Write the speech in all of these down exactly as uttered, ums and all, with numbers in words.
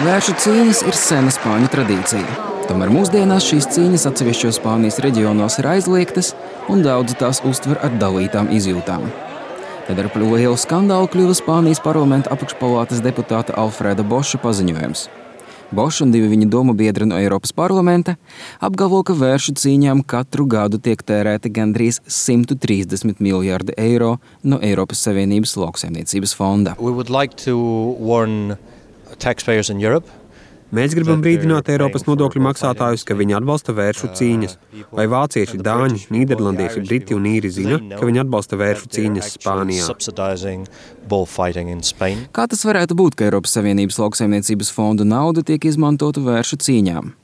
Vēršu cīņas ir sena spāņu tradīcija. Tomēr mūsdienās šīs cīņas atsevišķos Spānijas reģionos ir aizliegtas un daudzi tās uztver ar dalītām izjūtām. Tad ar lielu skandālu kļuva Spānijas parlamenta apakšpalātas deputāta Alfreda Boša paziņojums. Boša un divi viņa domu biedri no Eiropas parlamenta apgalvo, ka vēršu cīņām katru gadu tiek tērēti gandrīz simt trīsdesmit miljardi eiro no Eiropas Savienības lauksaimniecības fonda. We would like to warn taxpayers in Europe. Mēs gribam brīdināt Eiropas nodokļu maksātājus, ka viņi atbalsta vēršu cīņas. Vai vācieši, dāņi, nīderlandieši, briti un īri zina, ka viņi atbalsta vēršu cīņas Spānijā? Kā tas varētu būt, ka Eiropas Savienības lauksaimniecības fondu nauda tiek izmantota vēršu cīņām?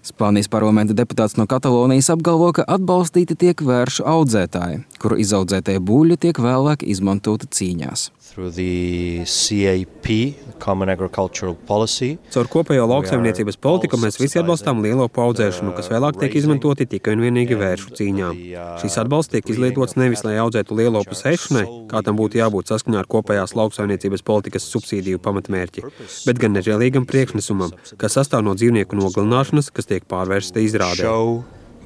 Spānijas parlamenta deputāts no Katalonijas apgalvo, ka atbalstīti tiek vēršu audzētāji, kuru izaudzētie buļļi tiek vēlāk izmantoti cīņās. Through the C A P, Common Agricultural Policy. Caur kopējo lauksaimniecības politiku mēs visi atbalstām lielopu audzēšanu, kas vēlāk tiek izmantoti tikai un vienīgi vēršu cīņām. Šīs atbalsts tiek izlietots nevis, lai audzētu lielopu ēšanai, kā tam būtu jābūt saskaņā ar kopējās lauksaimniecības politikas subsīdiju pamatmērķi, bet gan nežēlīgam priekšnesumam, kas sastāv no dzīvnieku nogalināšanas, kas tiek pārvērsta izrādē.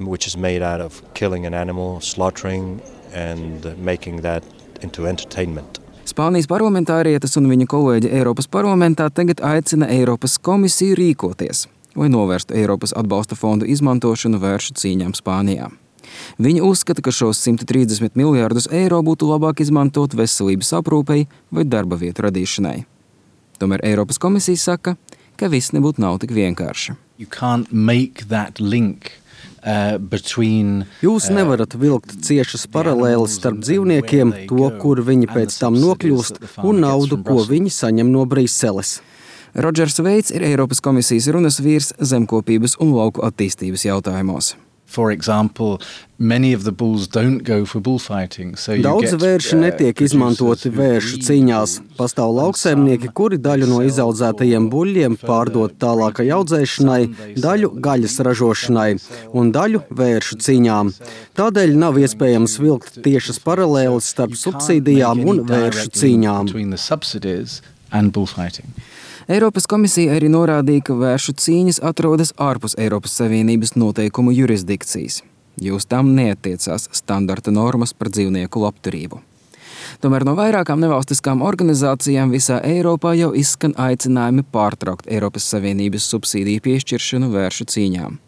Which is made out of killing an animal, slaughtering and making that into entertainment. Spānijas parlamentārietes un viņa kolēģi Eiropas parlamentā tagad aicina Eiropas komisiju rīkoties, lai novērstu Eiropas atbalsta fondu izmantošanu vēršu cīņām Spānijā. Viņi uzskata, ka šos simt trīsdesmit miljardus eiro būtu labāk izmantot veselības aprūpei vai darba vietu radīšanai. Tomēr Eiropas komisija saka, ka viss nebūtu nav tik vienkārši. You can't make that link. Uh, between, Jūs nevarat vilkt ciešas paralēles starp dzīvniekiem, to, kur viņi pēc tam nokļūst, un naudu, ko viņi saņem no Briseles. Rodžers Veits ir Eiropas komisijas runas vīrs zemkopības un lauku attīstības jautājumos. For example, many of the bulls don't go for bullfighting. So Daudz vērši netiek izmantoti vēršu cīņās. Pastāv lauksaimnieki, kuri daļu no izaudzētajiem buļļiem pārdod tālākai audzēšanai, daļu gaļas ražošanai un daļu vēršu cīņām. Tādēļ nav iespējams vilkt tiešas paralēles starp subsīdijām un vēršu cīņām. Eiropas komisija arī norādīja, ka vēršu cīņas atrodas ārpus Eiropas Savienības noteikumu jurisdikcijas, jo uz tām neattiecās standarta normas par dzīvnieku labturību. Tomēr no vairākām nevalstiskām organizācijām visā Eiropā jau izskan aicinājumi pārtraukt Eiropas Savienības subsīdiju piešķiršanu vēršu cīņām.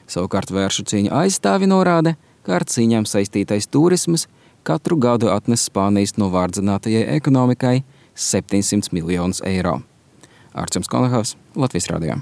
Savukārt vēršu cīņu aizstāvi norāda, ka ar cīņām saistītais turismas katru gadu atnes Spānijas novārdzinātajai ekonomikai septiņsimt miljonus eiro. Arčuns Konahaus, Latvijas radio.